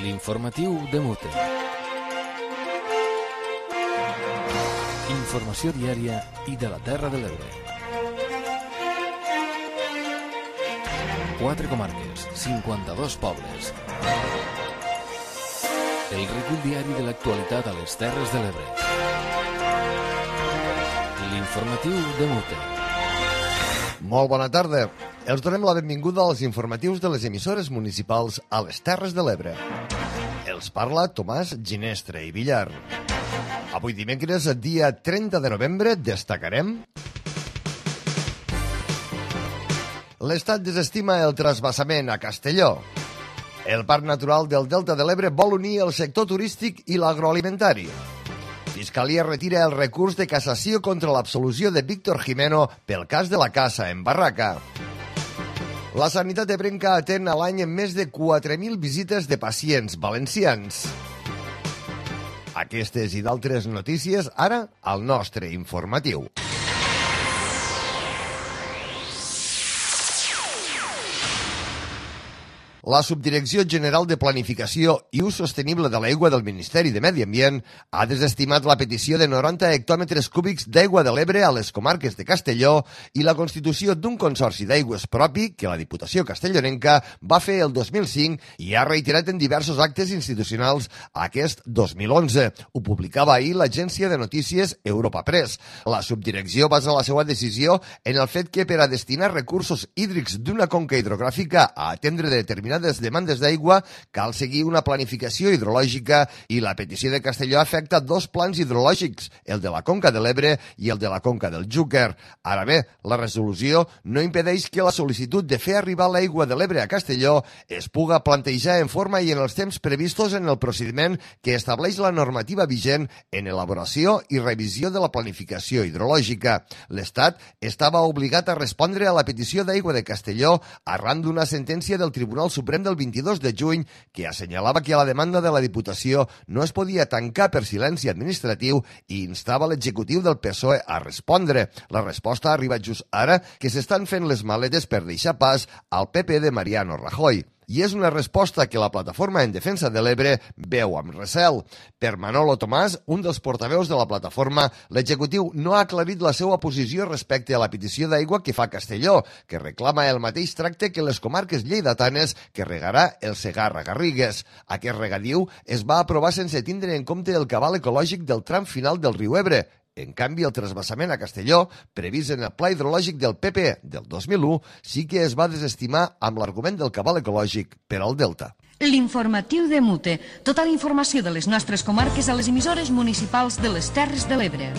L'informatiu de Mute. Informació diària i de la Terra de l'Ebre. 4 comarques, 52 pobles. El recull diari de l'actualitat a les Terres de l'Ebre. L'informatiu de Mute. Molt bona tarda. Els donem la benvinguda als informatius de les emissores municipals a les Terres de l'Ebre. Els parla Tomàs Ginestre i Villar. Avui dimecres, dia 30 de novembre, destacarem: l'Estat desestima el trasbassament a Castelló. El Parc Natural del Delta de l'Ebre vol unir el sector turístic i l'agroalimentari. Fiscalia retira el recurs de cassació contra l'absolució de Víctor Jimeno pel cas de la caça en Barraca. La sanitat ebrenca atén a l'any més de 4.000 visites de pacients valencians. Aquestes i d'altres notícies ara al nostre informatiu. La Subdirecció General de Planificació i Ús Sostenible de l'Aigua del Ministeri de Medi Ambient ha desestimat la petició de 90 hectòmetres cúbics d'aigua de l'Ebre a les comarques de Castelló i la constitució d'un consorci d'aigües propi que la Diputació castellonenca va fer el 2005 i ha reiterat en diversos actes institucionals aquest 2011. Ho publicava ahir l'agència de notícies Europa Press. La subdirecció basa la seva decisió en el fet que per a destinar recursos hídrics d'una conca hidrogràfica a atendre determinades demandes d'aigua cal seguir una planificació hidrològica i la petició de Castelló afecta dos plans hidrològics, el de la Conca de l'Ebre i el de la Conca del Xúquer. Ara bé, la resolució no impedeix que la sol·licitud de fer arribar l'aigua de l'Ebre a Castelló es puga plantejar en forma i en els temps previstos en el procediment que estableix la normativa vigent en elaboració i revisió de la planificació hidrològica. L'Estat estava obligat a respondre a la petició d'aigua de Castelló arran d'una sentència del Tribunal Suprem del 22 de juny que assenyalava que la demanda de la Diputació no es podia tancar per silenci administratiu i instava l'executiu del PSOE a respondre. La resposta arriba just ara que s'estan fent les maletes per deixar pas al PP de Mariano Rajoy. I és una resposta que la Plataforma en Defensa de l'Ebre veu amb recel. Per Manolo Tomàs, un dels portaveus de la plataforma, l'executiu no ha aclarit la seva posició respecte a la petició d'aigua que fa Castelló, que reclama el mateix tracte que les comarques lleidatanes que regarà el Segarra-Garrigues. Aquest regadiu es va aprovar sense tindre en compte el cabal ecològic del tram final del riu Ebre. En canvi, el trasbassament a Castelló, previst en el pla hidrològic del PP del 2001, sí que es va desestimar amb l'argument del cabal ecològic per al Delta. L'informatiu de Mute. Tota la informació de les nostres comarques a les emissores municipals de les Terres de l'Ebre.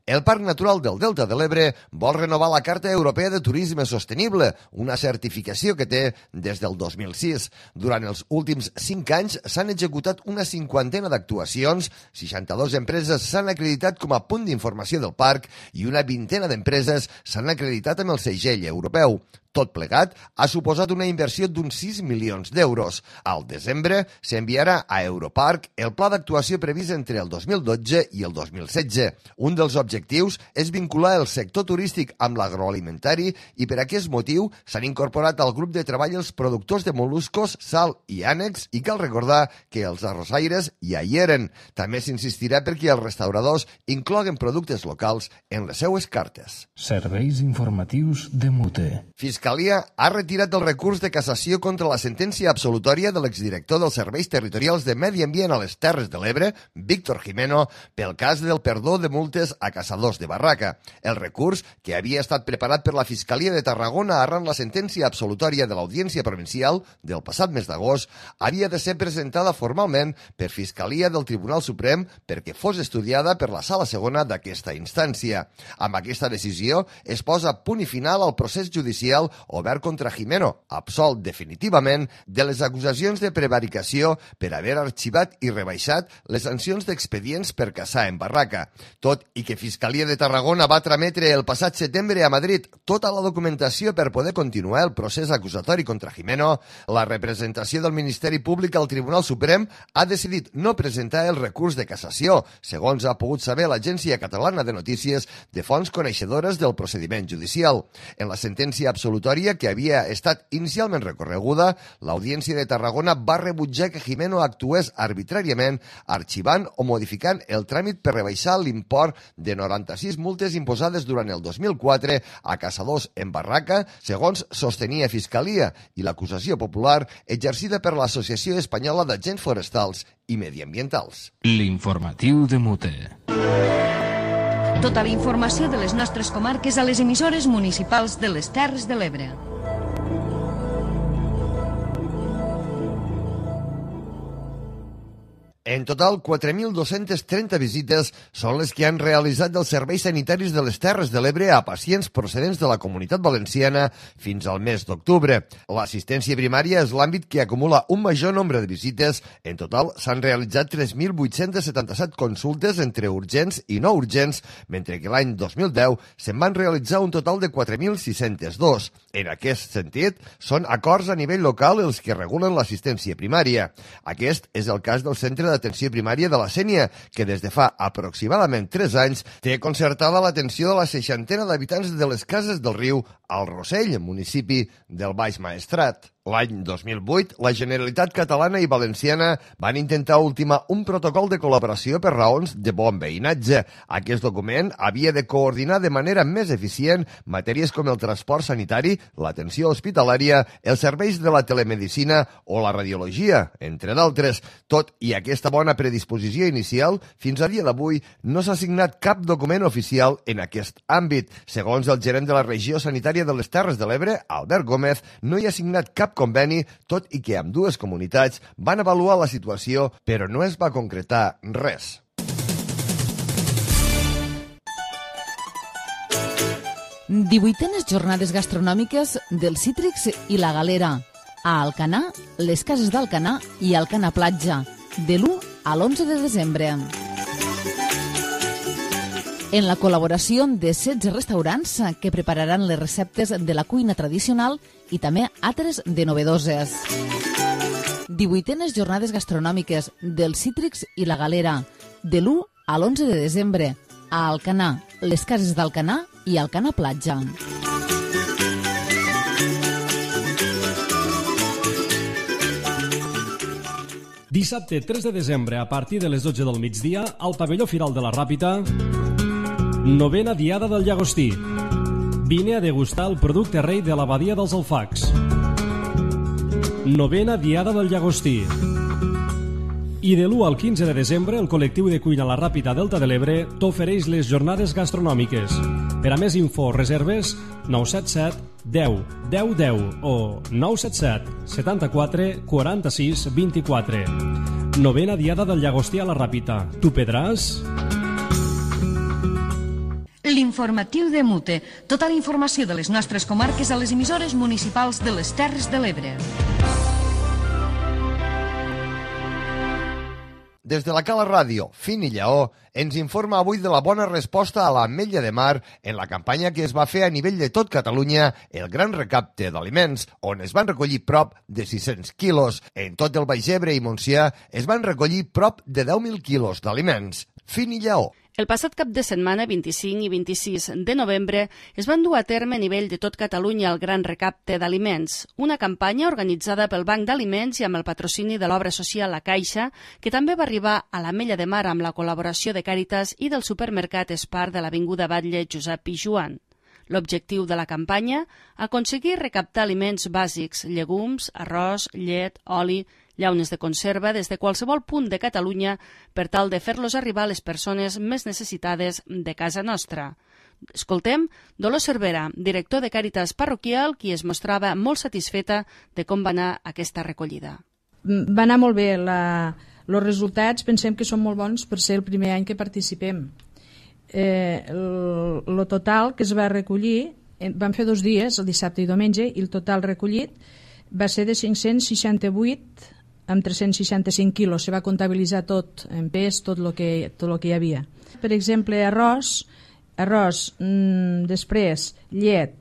El Parc Natural del Delta de l'Ebre vol renovar la Carta Europea de Turisme Sostenible, una certificació que té des del 2006. Durant els últims 5 anys s'han executat una 50ena d'actuacions, 62 empreses s'han acreditat com a punt d'informació del parc i una 20ena d'empreses s'han acreditat amb el segell europeu. Tot plegat ha suposat una inversió d'uns 6 milions d'euros. Al desembre s'enviarà a Europarc el pla d'actuació previst entre el 2012 i el 2016. Un dels objectius és vincular el sector turístic amb l'agroalimentari i per aquest motiu s'han incorporat al grup de treball els productors de mol·luscos, sal i ànecs i cal recordar que els arrossaires ja hi eren. També s'insistirà perquè els restauradors incloguen productes locals en les seues cartes. Serveis informatius de Mute. Fiscalia ha retirat el recurs de cassació contra la sentència absolutòria de l'exdirector dels Serveis Territorials de Medi Ambient a les Terres de l'Ebre, Víctor Jimeno, pel cas del perdó de multes a caçadors de Barraca. El recurs, que havia estat preparat per la Fiscalia de Tarragona arran la sentència absolutòria de l'Audiència Provincial del passat mes d'agost, havia de ser presentada formalment per Fiscalia del Tribunal Suprem perquè fos estudiada per la Sala Segona d'aquesta instància. Amb aquesta decisió es posa punt i final al procés judicial obert contra Jimeno, absolt definitivament de les acusacions de prevaricació per haver arxivat i rebaixat les sancions d'expedients per caçar en Barraca. Tot i que Fiscalia de Tarragona va trametre el passat setembre a Madrid tota la documentació per poder continuar el procés acusatori contra Jimeno, la representació del Ministeri Públic al Tribunal Suprem ha decidit no presentar el recurs de cassació, segons ha pogut saber l'Agència Catalana de Notícies de fonts coneixedores del procediment judicial. En la sentència absoluta absolutòria que havia estat inicialment recorreguda, l'Audiència de Tarragona va rebutjar que Jimeno actués arbitràriament arxivant o modificant el tràmit per rebaixar l'import de 96 multes imposades durant el 2004 a caçadors en barraca, segons sostenia Fiscalia i l'acusació popular exercida per l'Associació Espanyola d'Agents Forestals i Mediambientals. L'informatiu de Mute. Tota la informació de les nostres comarques a les emissores municipals de les Terres de l'Ebre. En total, 4.230 visites són les que han realitzat els serveis sanitaris de les Terres de l'Ebre a pacients procedents de la Comunitat Valenciana fins al mes d'octubre. L'assistència primària és l'àmbit que acumula un major nombre de visites. En total, s'han realitzat 3.877 consultes entre urgents i no urgents, mentre que l'any 2010 se'n van realitzar un total de 4.602. En aquest sentit, són acords a nivell local els que regulen l'assistència primària. Aquest és el cas del Centre d'Atenció Primària de la Sénia, que des de fa aproximadament 3 anys té concertada l'atenció de la 60ena d'habitants de les Cases del Riu al Rossell, municipi del Baix Maestrat. L'any 2008, la Generalitat catalana i valenciana van intentar ultimar un protocol de col·laboració per raons de bon veïnatge. Aquest document havia de coordinar de manera més eficient matèries com el transport sanitari, l'atenció hospitalària, els serveis de la telemedicina o la radiologia, entre d'altres. Tot i aquesta bona predisposició inicial, fins a dia d'avui no s'ha signat cap document oficial en aquest àmbit. Segons el gerent de la regió sanitària de les Terres de l'Ebre, Albert Gómez, no hi ha signat cap conveni, tot i que ambdues comunitats van avaluar la situació, però no es va concretar res. Divuitenes jornades gastronòmiques del Cítrics i la Galera. A Alcanar, les Cases d'Alcanar i Alcanar Platja, de l'1 a l'11 de desembre. En la col·laboració de 16 restaurants que prepararan les receptes de la cuina tradicional i també altres de novedoses. 18enes jornades gastronòmiques del Cítrics i la Galera, de l'1 a l'11 de desembre, a Alcanar, les Cases d'Alcanar i Alcanar Platja. Dissabte 3 de desembre, a partir de les 12 del migdia, al pavelló Firal de la Ràpita, 9a Diada del Llagostí. Vine a degustar el producte rei de l'abadia dels Alfacs. 9a Diada del Llagostí. I de l'1 al 15 de desembre, el col·lectiu de cuina La Ràpita Delta de l'Ebre t'ofereix les jornades gastronòmiques. Per a més info, reserves 977 10 10 10 o 977 74 46 24. 9a Diada del Llagostí a La Ràpita. Tu pedràs? L'informatiu de Mute. Tota la informació de les nostres comarques a les emissores municipals de les Terres de l'Ebre. Des de la Cala Ràdio, Fin i Lleó, ens informa avui de la bona resposta a l'Ametlla de Mar en la campanya que es va fer a nivell de tot Catalunya, el Gran Recapte d'Aliments, on es van recollir prop de 600 quilos. En tot el Baix Ebre i Montsià es van recollir prop de 10.000 quilos d'aliments. Fin i Lleó. El passat cap de setmana, 25 i 26 de novembre, es van dur a terme a nivell de tot Catalunya el Gran Recapte d'Aliments, una campanya organitzada pel Banc d'Aliments i amb el patrocini de l'obra social La Caixa, que també va arribar a l'Ametlla de Mar amb la col·laboració de Càritas i del supermercat Espar de l'Avinguda Batlle Josep Pijuan. L'objectiu de la campanya, aconseguir recaptar aliments bàsics, llegums, arròs, llet, oli, llaunes de conserva des de qualsevol punt de Catalunya per tal de fer-los arribar a les persones més necessitades de casa nostra. Escoltem Dolors Cervera, director de Càritas Parroquial, qui es mostrava molt satisfeta de com va anar aquesta recollida. Va anar molt bé. Els resultats pensem que són molt bons per ser el primer any que participem. El total que es va recollir, vam fer 2 dies, el dissabte i diumenge, i el total recollit va ser de 568 amb 365 quilos. Se va comptabilitzar tot en pes, tot el que hi havia. Per exemple, arròs, després llet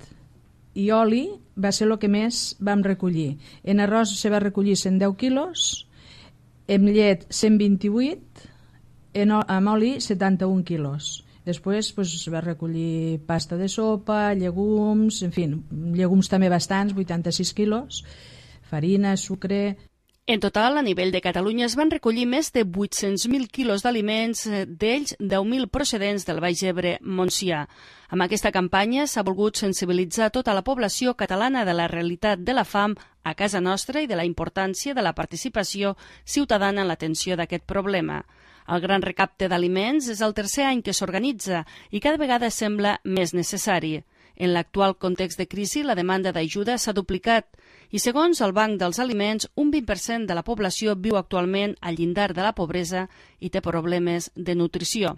i oli va ser el que més vam recollir. En arròs se va recollir 110 quilos, en llet 128, amb oli 71 quilos. Després es va recollir pasta de sopa, llegums, en fi, llegums també bastants, 86 quilos, farina, sucre... En total, a nivell de Catalunya es van recollir més de 800.000 quilos d'aliments, d'ells 10.000 procedents del Baix Ebre Montsià. Amb aquesta campanya s'ha volgut sensibilitzar tota la població catalana de la realitat de la fam a casa nostra i de la importància de la participació ciutadana en l'atenció d'aquest problema. El Gran Recapte d'Aliments és el tercer any que s'organitza i cada vegada sembla més necessari. En l'actual context de crisi, la demanda d'ajuda s'ha duplicat i, segons el Banc dels Aliments, un 20% de la població viu actualment al llindar de la pobresa i té problemes de nutrició.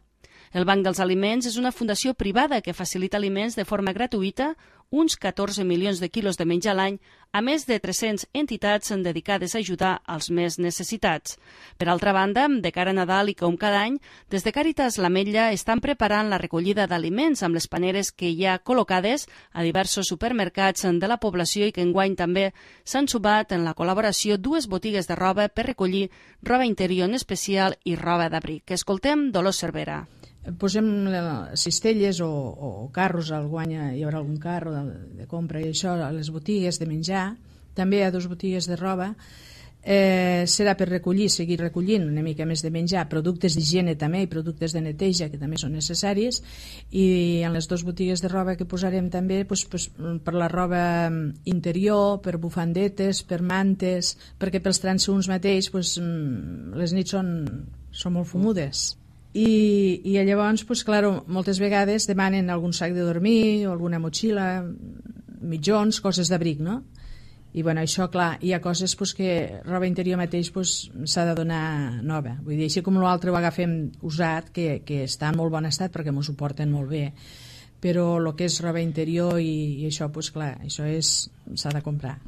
El Banc dels Aliments és una fundació privada que facilita aliments de forma gratuïta, uns 14 milions de quilos de menjar a l'any, a més de 300 entitats dedicades a ajudar als més necessitats. Per altra banda, de cara a Nadal i com cada any, des de Càritas l'Ametlla estan preparant la recollida d'aliments amb les paneres que hi ha col·locades a diversos supermercats de la població i que enguany també s'han sumat en la col·laboració dues botigues de roba per recollir roba interior en especial i roba d'abric. Escoltem Dolors Cervera. Posem cistelles o carros, al guany hi haurà algun carro de compra i això, a les botigues de menjar, també hi ha 2 botigues de roba, serà per seguir recollint una mica més de menjar, productes d'higiene també i productes de neteja que també són necessaris, i en les 2 botigues de roba que posarem també per la roba interior, per bufandetes, per mantes, perquè pels transeünts mateix les nits són molt fumudes. I llavors, moltes vegades demanen algun sac de dormir o alguna motxilla, mitjons, coses d'abric, no? I això, clar, hi ha coses que roba interior mateix s'ha de donar nova. Vull dir, així com l'altre ho agafem usat, que està en molt bon estat perquè m'ho suporten molt bé, però el que és roba interior i això, clar, això s'ha de comprar.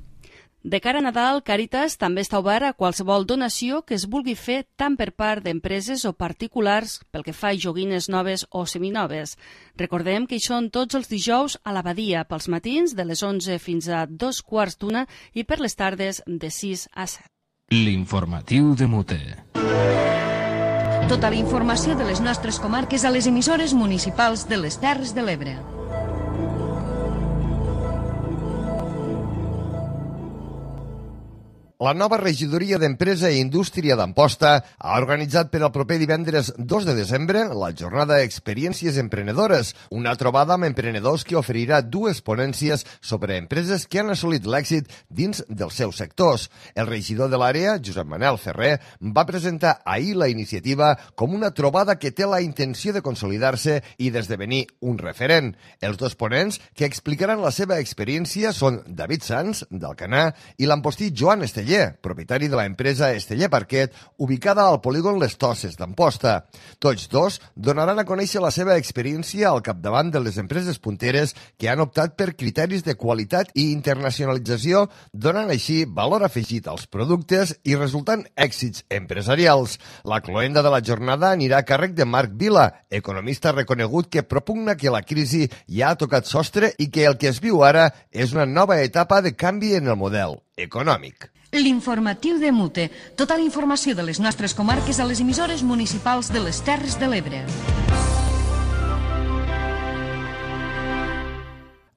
De cara a Nadal, Càritas també està obert a qualsevol donació que es vulgui fer tant per part d'empreses o particulars pel que fa a joguines noves o seminoves. Recordem que hi són tots els dijous a l'Abadia, pels matins de les 11 fins a 2:15 i per les tardes de 6 a 7. L'informatiu de Mute. Tota la informació de les nostres comarques a les emissores municipals de les Terres de l'Ebre. La nova regidoria d'Empresa i Indústria d'Amposta ha organitzat per al proper divendres 2 de desembre la jornada Experiències Emprenedores, una trobada amb emprenedors que oferirà 2 ponències sobre empreses que han assolit l'èxit dins dels seus sectors. El regidor de l'àrea, Josep Manel Ferrer, va presentar ahir la iniciativa com una trobada que té la intenció de consolidar-se i d'esdevenir un referent. Els 2 ponents que explicaran la seva experiència són David Sanz, d'Alcanar, i l'ampostí Joan Esteller, propietari de l'empresa Esteller Parquet, ubicada al polígon Les Tosses d'Amposta. Tots 2 donaran a conèixer la seva experiència al capdavant de les empreses punteres que han optat per criteris de qualitat i internacionalització, donant així valor afegit als productes i resultant èxits empresarials. La cloenda de la jornada anirà a càrrec de Marc Vila, economista reconegut que propugna que la crisi ja ha tocat sostre i que el que es viu ara és una nova etapa de canvi en el model econòmic. L'informatiu de Mute. Tota la informació de les nostres comarques a les emissores municipals de les Terres de l'Ebre.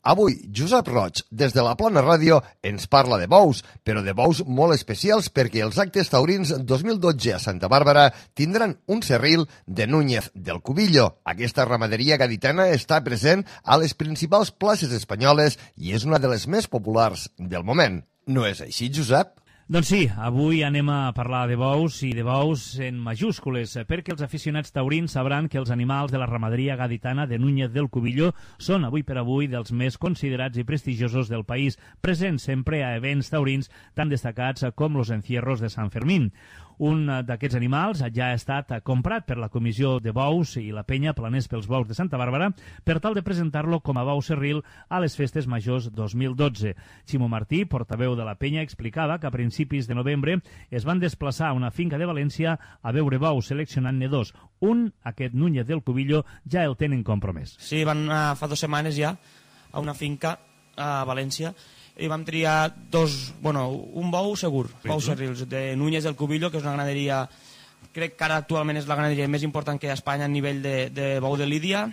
Avui, Josep Roig, des de la Plana Ràdio, ens parla de bous, però de bous molt especials perquè els actes taurins 2012 a Santa Bàrbara tindran un serril de Núñez del Cubillo. Aquesta ramaderia gaditana està present a les principals places espanyoles i és una de les més populars del moment. No és així, Josep? Doncs sí, avui anem a parlar de bous i de bous en majúscules, perquè els aficionats taurins sabran que els animals de la ramaderia gaditana de Núñez del Cubillo són avui per avui dels més considerats i prestigiosos del país, presents sempre a events taurins tan destacats com los encierros de Sant Fermín. Un d'aquests animals ja ha estat comprat per la Comissió de Bous i la Penya Planers pels Bous de Santa Bàrbara per tal de presentar-lo com a bou serril a les Festes Majors 2012. Ximo Martí, portaveu de la Penya, explicava que a principis de novembre es van desplaçar a una finca de València a veure bous seleccionant-ne 2. Un, aquest Núñez del Cubillo, ja el tenen compromès. Sí, van anar fa 2 setmanes ja a una finca a València i vam triar un bou segur, bous serrils de Núñez del Cubillo, que és una ganaderia, crec que ara actualment és la ganaderia més important que hi ha a Espanya a nivell de bou de lídia,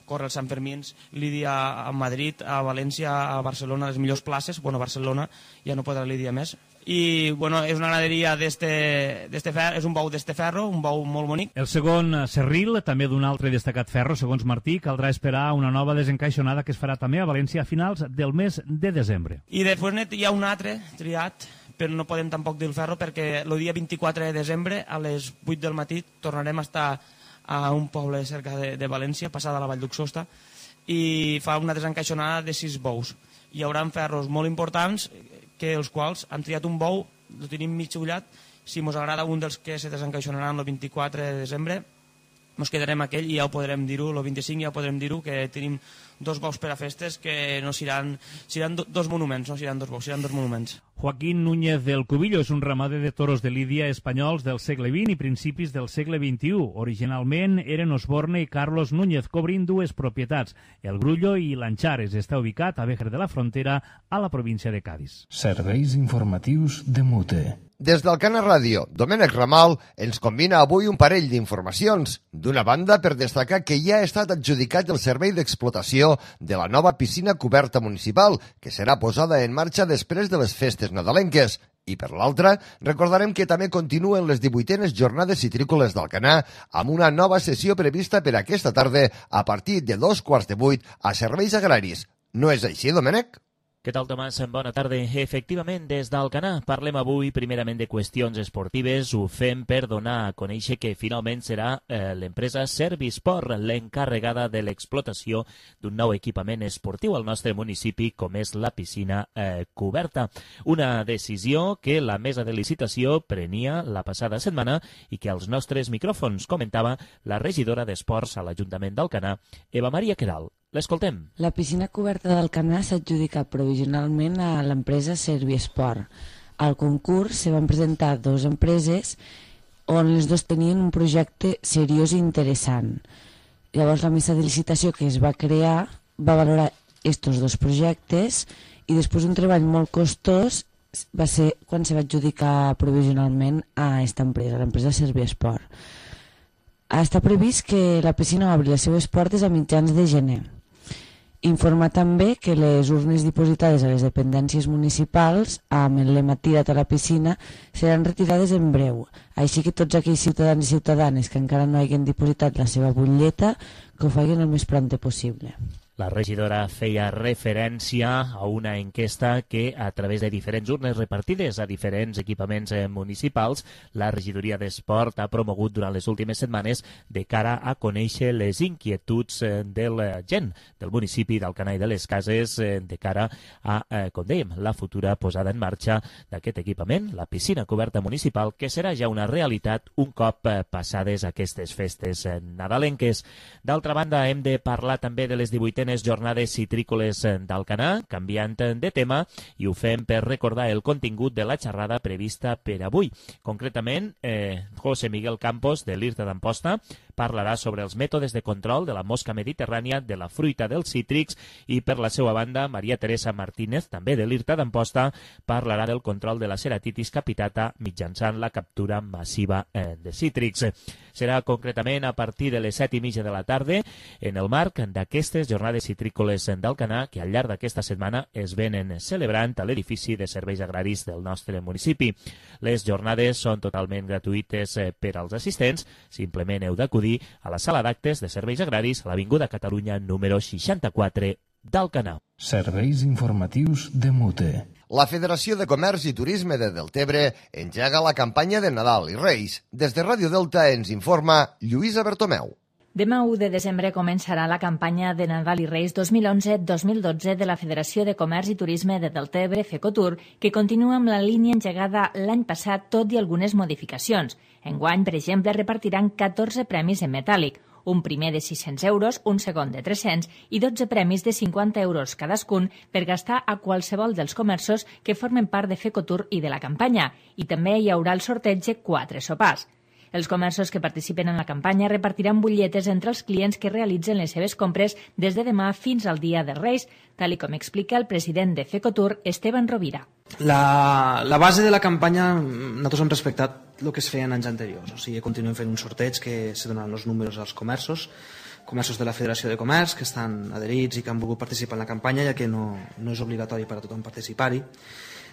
córrer els Sant Fermins, Lídia a Madrid, a València, a Barcelona, les millors places. Bueno, Barcelona ja no podrà Lídia més. I bueno, és una ganaderia d'este ferro, és un bou d'este ferro, un bou molt bonic. El segon Serril, també d'un altre destacat ferro, segons Martí, caldrà esperar una nova desencaixonada que es farà també a València a finals del mes de desembre. I després hi ha un altre triat, però no podem tampoc dir el ferro perquè el dia 24 de desembre a les 8 del matí tornarem a estar a un poble cerca de València, passada la Vall d'Uxosta, i fa una desencaixonada de 6 bous. Hi haurà ferros molt importants que els quals han triat un bou, el tenim mig ullat, si ens agrada un dels que se desencaixonaran el 24 de desembre, ens quedarem aquell i ja ho podrem dir-ho, el 25 ja ho podrem dir-ho, que tenim 2 bous per a festes que no seran 2 monuments, no seran 2 bous, seran 2 monuments. Joaquín Núñez del Cubillo és un ramader de toros de Lídia espanyols del segle XX i principis del segle XXI. Originalment eren Osborne i Carlos Núñez, cobrint 2 propietats, el Grullo i l'Anchares. Està ubicat a Vejer de la Frontera, a la província de Cádiz. Serveis informatius de Mute. Des d'Alcana Ràdio, Domènec Ramal ens combina avui un parell d'informacions. D'una banda, per destacar que ja ha estat adjudicat el servei d'explotació de la nova piscina coberta municipal, que serà posada en marxa després de les festes nadalenques. I per l'altra, recordarem que també continuen les 18enes jornades citrícoles d'Alcanar amb una nova sessió prevista per aquesta tarda a partir de 7:15 a Serveis Agraris. No és així, Domènec? Què tal, Tomàs? Bona tarda. Efectivament, des d'Alcanar parlem avui primerament de qüestions esportives. Ho fem per donar a conèixer que finalment serà l'empresa Servisport l'encarregada de l'explotació d'un nou equipament esportiu al nostre municipi, com és la piscina coberta. Una decisió que la mesa de licitació prenia la passada setmana i que als nostres micròfons comentava la regidora d'Esports a l'Ajuntament d'Alcanar, Eva Maria Queralt. L'escoltem. La piscina coberta d'Alcanar s'ha adjudicat provisionalment a l'empresa Servisport. Al concurs se van presentar 2 empreses on les 2 tenien un projecte seriós i interessant. Llavors la mesa de licitació que es va crear va valorar aquests 2 projectes i després un treball molt costós va ser quan se va adjudicar provisionalment a aquesta empresa, l'empresa Servisport. Està previst que la piscina obri les seves portes a mitjans de gener. Informar també que les urnes dipositades a les dependències municipals amb el lema "Tira't a la piscina" seran retirades en breu. Així que tots aquells ciutadans i ciutadanes que encara no hagin dipositat la seva butlleta, que ho facin el més prompte possible. La regidora feia referència a una enquesta que, a través de diferents urnes repartides a diferents equipaments municipals, la regidoria d'Esport ha promogut durant les últimes setmanes de cara a conèixer les inquietuds de la gent del municipi d'Alcanar i de les Cases de cara a, com dèiem, la futura posada en marxa d'aquest equipament, la piscina coberta municipal, que serà ja una realitat un cop passades aquestes festes nadalenques. D'altra banda, hem de parlar també de les 18enes jornades citrícoles d'Alcanar, canviant de tema, i ho fem per recordar el contingut de la xerrada prevista per avui. Concretament, José Miguel Campos, de l'IRTA d'Amposta, parlarà sobre els mètodes de control de la mosca mediterrània, de la fruita dels cítrics, i per la seva banda, Maria Teresa Martínez, també de l'IRTA d'Amposta, parlarà del control de la ceratitis capitata mitjançant la captura massiva de cítrics. Serà concretament a partir de les 7:30 de la tarda en el marc d'aquestes jornades citrícoles d'Alcanar que al llarg d'aquesta setmana es venen celebrant a l'edifici de serveis agraris del nostre municipi. Les jornades són totalment gratuïtes per als assistents. Simplement heu d'acudir a la sala d'actes de serveis agraris a l'Avinguda Catalunya número 64 d'Alcanar. Serveis informatius de Mute. La Federació de Comerç i Turisme de Deltebre engega la campanya de Nadal i Reis. Des de Ràdio Delta ens informa Lluïsa Bertomeu. Demà 1 de desembre començarà la campanya de Nadal i Reis 2011-2012 de la Federació de Comerç i Turisme de Deltebre, FECOTUR, que continua amb la línia engegada l'any passat, tot i algunes modificacions. Enguany, per exemple, repartiran 14 premis en metàl·lic, un primer de 600 euros, un segon de 300 i 12 premis de 50 euros cadascun per gastar a qualsevol dels comerços que formen part de FECOTUR i de la campanya. I també hi haurà el sorteig de 4 sopars. Els comerços que participen en la campanya repartiran butlletes entre els clients que realitzen les seves compres des de demà fins al dia dels Reis, tal com explica el president de FECOTUR, Esteban Rovira. La base de la campanya, nosaltres hem respectat el que es feia en anys anteriors, o sigui, continuem fent un sorteig que se donen els números als comerços comerços de la Federació de Comerç que estan adherits i que han volgut participar en la campanya, ja que no és obligatori per a tothom participar-hi.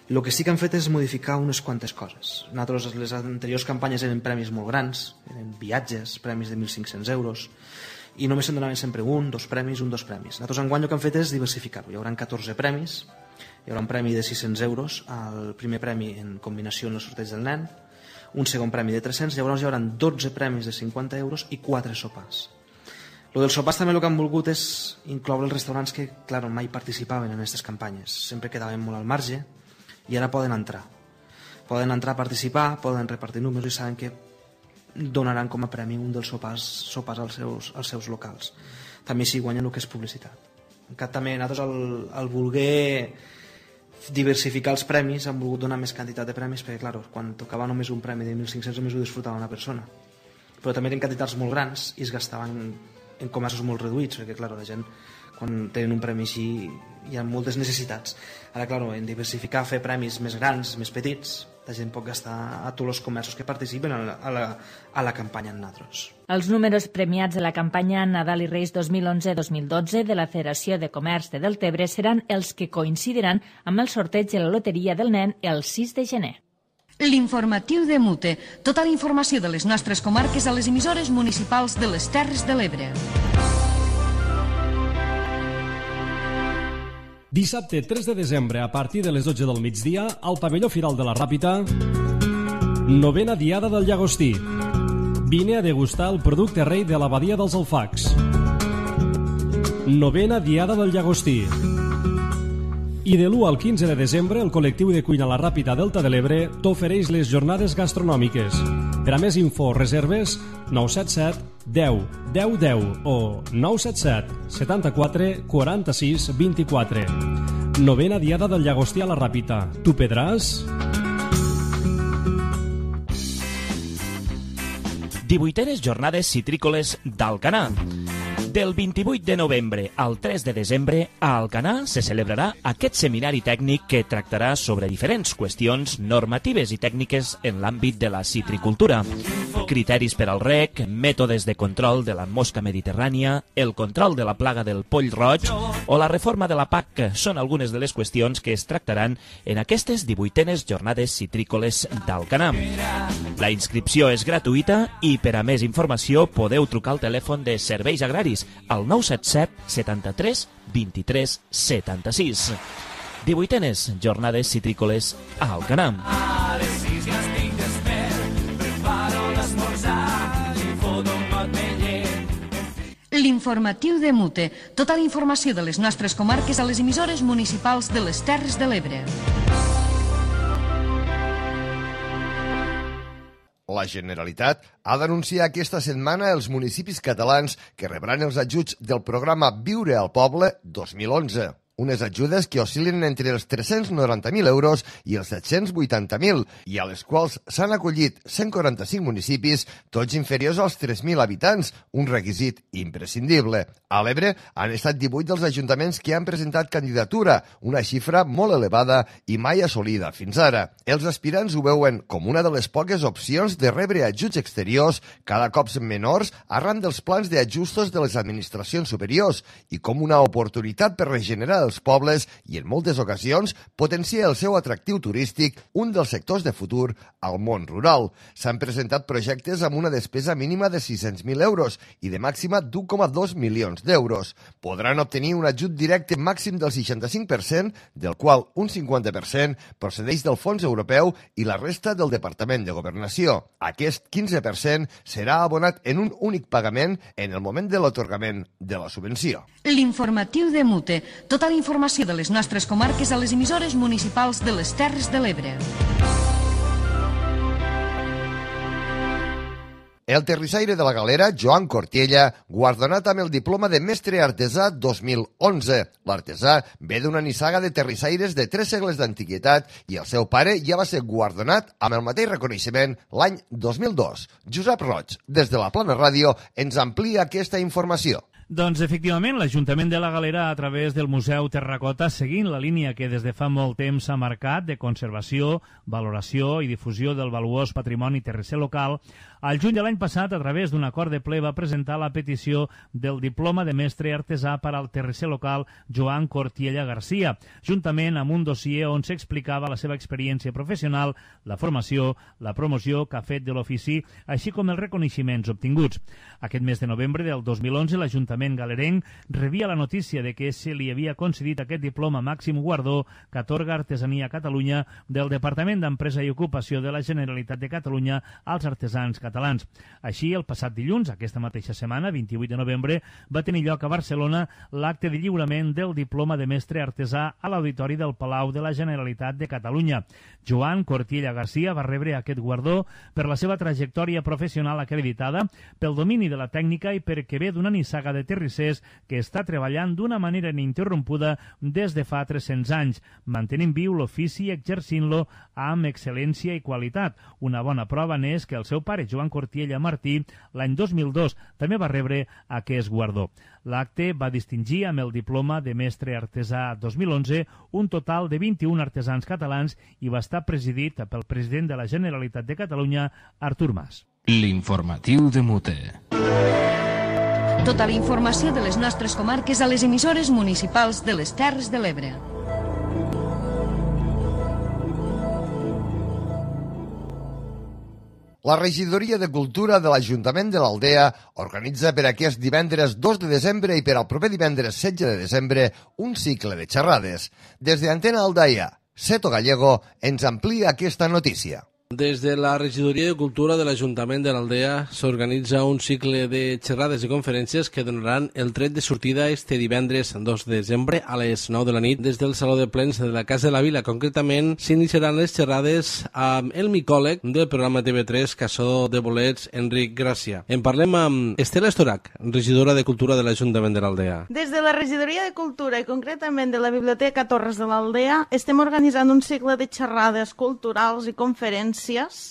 El que sí que han fet és modificar unes quantes coses. Nosaltres, les anteriors campanyes eren premis molt grans, eren viatges, premis de 1.500 euros, i només se'n donaven sempre un, dos premis. Nosaltres enguany el que han fet és diversificar-ho. Hi haurà 14 premis, hi haurà un premi de 600 euros, el primer premi en combinació en el sorteig del nen, un segon premi de 300, llavors hi haurà 12 premis de 50 euros i 4 sopars. Lo dels sopars també el que han volgut és incloure els restaurants que, clar, mai participaven en aquestes campanyes, sempre quedaven molt al marge, i ara poden entrar a participar, poden repartir números i saben que donaran com a premi un dels sopars als seus locals. També així guanyen el que és publicitat. També nosaltres al voler diversificar els premis han volgut donar més quantitat de premis perquè, clar, quan tocava només un premi de 1.500 només ho disfrutava una persona, però també eren quantitats molt grans i es gastaven en comerços molt reduïts perquè, clar, la gent quan tenen un premi així hi ha moltes necessitats. Ara, clar, en diversificar, fer premis més grans, més petits, la gent pot gastar a tots els comerços que participen a la campanya en nosaltres. Els números premiats de la campanya Nadal i Reis 2011-2012 de la Federació de Comerç de Deltebre seran els que coincidiran amb el sorteig de la Loteria del Nen el 6 de gener. L'informatiu de Mute. Tota la informació de les nostres comarques a les emissores municipals de les Terres de l'Ebre. Dissabte 3 de desembre, a partir de les 12 del migdia, al pavelló Firal de la Ràpita, 9a Diada del Llagostí. Vine a degustar el producte rei de l'abadia dels Alfacs. 9a Diada del Llagostí. I de l'1 al 15 de desembre, el col·lectiu de cuina La Ràpita Delta de l'Ebre t'ofereix les jornades gastronòmiques. Per a més info o reserves, 977 10 10 10 o 977 74 46 24. 9a Diada del Llagostí a La Ràpita. Tu pedràs? 18enes jornades citrícoles d'Alcanar. Del 28 de novembre al 3 de desembre, a Alcanar se celebrarà aquest seminari tècnic que tractarà sobre diferents qüestions normatives i tècniques en l'àmbit de la citricultura. Criteris per al rec, mètodes de control de la mosca mediterrània, el control de la plaga del poll roig o la reforma de la PAC són algunes de les qüestions que es tractaran en aquestes 18enes jornades citrícoles d'Alcanar. La inscripció és gratuïta i per a més informació podeu trucar al telèfon de Serveis Agraris al 977 73 23 76. 18enes jornades citrícoles a Alcanar. L'informatiu de Mute. Tota la informació de les nostres comarques a les emissores municipals de les Terres de l'Ebre. La Generalitat ha d'anunciar aquesta setmana els municipis catalans que rebran els ajuts del programa Viure al Poble 2011. Unes ajudes que oscil·len entre els 390.000 euros i els 780.000 i a les quals s'han acollit 145 municipis, tots inferiors als 3.000 habitants, un requisit imprescindible. A l'Ebre han estat 18 dels ajuntaments que han presentat candidatura, una xifra molt elevada i mai assolida fins ara. Els aspirants ho veuen com una de les poques opcions de rebre ajuts exteriors, cada cop menors, arran dels plans d'ajustos de les administracions superiors i com una oportunitat per regenerar els pobles i, en moltes ocasions, potencia el seu atractiu turístic, un dels sectors de futur al món rural. S'han presentat projectes amb una despesa mínima de 600.000 euros i de màxima d'1,2 milions d'euros. Podran obtenir un ajut directe màxim del 65%, del qual un 50% procedeix del fons europeu i la resta del Departament de Governació. Aquest 15% serà abonat en un únic pagament en el moment de l'atorgament de la subvenció. L'informatiu de Mute. Tota la informació de les nostres comarques a les emissores municipals de les Terres de l'Ebre. El terrissaire de la Galera, Joan Cortiella, guardonat amb el diploma de mestre artesà 2011. L'artesà ve d'una nissaga de terrissaires de 3 segles d'antiguitat i el seu pare ja va ser guardonat amb el mateix reconeixement l'any 2002. Josep Roig, des de la Plana Ràdio, ens amplia aquesta informació. Doncs, efectivament, l'Ajuntament de la Galera, a través del Museu Terracota, seguint la línia que des de fa molt temps s'ha marcat de conservació, valoració i difusió del valuós patrimoni terrisser local, al juny de l'any passat, a través d'un acord de ple, va presentar la petició del diploma de mestre artesà per al terrisser local Joan Cortiella Garcia, juntament amb un dossier on s'explicava la seva experiència professional, la formació, la promoció que ha fet de l'ofici, així com els reconeixements obtinguts. Aquest mes de novembre del 2011, l'Ajuntament galerenc rebia la notícia de que se li havia concedit aquest diploma màxim guardó que atorga Artesania Catalunya del Departament d'Empresa i Ocupació de la Generalitat de Catalunya als artesans catalans. Així, el passat dilluns, aquesta mateixa setmana, 28 de novembre, va tenir lloc a Barcelona l'acte de lliurament del diploma de mestre artesà a l'Auditori del Palau de la Generalitat de Catalunya. Joan Cortiella Garcia va rebre aquest guardó per la seva trajectòria professional acreditada, pel domini de la tècnica i perquè ve d'una nissaga de terrissers que està treballant d'una manera ininterrompuda des de fa 300 anys, mantenint viu l'ofici i exercint-lo amb excel·lència i qualitat. Una bona prova n'és que el seu pare, Joan Cortiella Martí, l'any 2002 també va rebre aquest guardó. L'acte va distingir amb el diploma de mestre artesà 2011 un total de 21 artesans catalans i va estar presidit pel president de la Generalitat de Catalunya, Artur Mas. L'informatiu de Mute. Tota la informació de les nostres comarques a les emissores municipals de les Terres de l'Ebre. La Regidoria de Cultura de l'Ajuntament de l'Aldea organitza per aquest divendres 2 de desembre i per al proper divendres 16 de desembre un cicle de xerrades. Des de Antena Aldaia, Seto Gallego ens amplia aquesta notícia. Des de la Regidoria de Cultura de l'Ajuntament de l'Aldea s'organitza un cicle de xerrades i conferències que donaran el tret de sortida este divendres 2 de desembre a les 9 de la nit des del Saló de Plens de la Casa de la Vila. Concretament, s'iniciaran les xerrades amb el micòleg del programa TV3 Caçador de Bolets, Enric Gràcia. En parlem amb Estela Estorac, regidora de Cultura de l'Ajuntament de l'Aldea. Des de la Regidoria de Cultura i concretament de la Biblioteca Torres de l'Aldea estem organitzant un cicle de xerrades culturals i conferències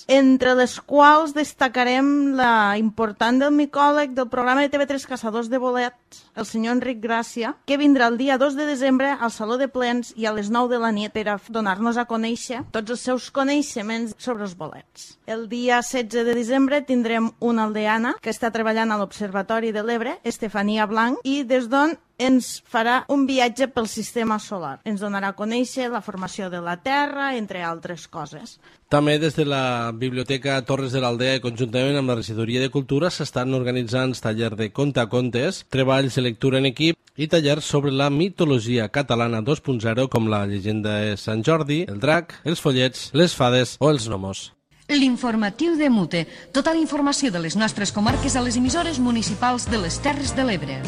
entre les quals destacarem la important del micòleg del programa de TV3 Caçadors de Bolets, el senyor Enric Gràcia, que vindrà el dia 2 de desembre al Saló de Plens i a les 9 de la nit per a donar-nos a conèixer tots els seus coneixements sobre els bolets. El dia 16 de desembre tindrem una aldeana que està treballant a l'Observatori de l'Ebre, Estefania Blanc, i des d'on ens farà un viatge pel sistema solar. Ens donarà a conèixer la formació de la Terra, entre altres coses. També des de la Biblioteca Torres de l'Aldea i conjuntament amb la Regidoria de Cultura s'estan organitzant tallers de contacontes, treballs de lectura en equip i tallers sobre la mitologia catalana 2.0 com la llegenda de Sant Jordi, el drac, els follets, les fades o els gnomos. L'informatiu de Mute. Tota la informació de les nostres comarques a les emissores municipals de les Terres de l'Ebre.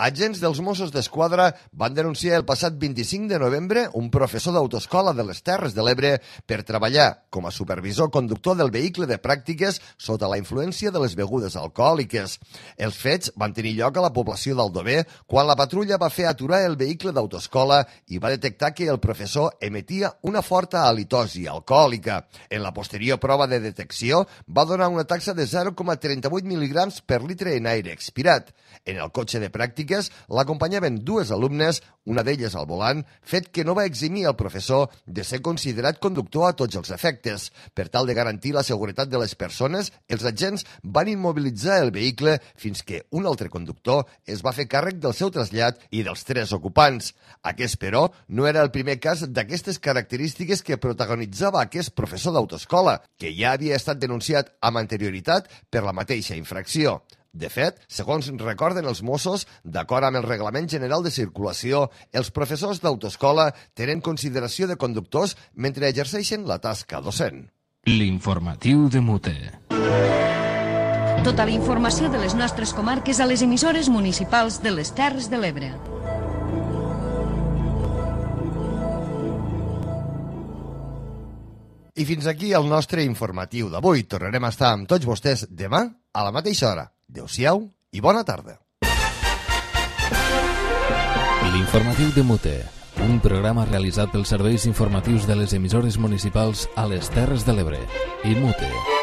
Agents dels Mossos d'Esquadra van denunciar el passat 25 de novembre un professor d'autoescola de les Terres de l'Ebre per treballar com a supervisor conductor del vehicle de pràctiques sota la influència de les begudes alcohòliques. Els fets van tenir lloc a la població d'Aldover quan la patrulla va fer aturar el vehicle d'autoescola i va detectar que el professor emetia una forta halitosi alcohòlica. En la posterior prova de detecció va donar una taxa de 0,38 mil·lígrams per litre en aire expirat. En el cotxe de pràctiques l'acompanyaven dues alumnes, una d'elles al volant, fet que no va eximir el professor de ser considerat conductor a tots els efectes. Per tal de garantir la seguretat de les persones, els agents van immobilitzar el vehicle fins que un altre conductor es va fer càrrec del seu trasllat i dels 3 ocupants. Aquest, però, no era el primer cas d'aquestes característiques que protagonitzava aquest professor d'autoescola, que ja havia estat denunciat amb anterioritat per la mateixa infracció. De fet, segons recorden els Mossos, d'acord amb el Reglament General de Circulació, els professors d'autoescola tenen consideració de conductors mentre exerceixen la tasca docent. L'informatiu de Mute. Tota la informació de les nostres comarques a les emissores municipals de les Terres de l'Ebre. I fins aquí el nostre informatiu d'avui. Tornarem a estar amb tots vostès demà a la mateixa hora. Adéu-siau i bona tarda. L'informatiu de Mute, un programa realitzat pels serveis informatius de les emissores municipals a les Terres de l'Ebre i Mute.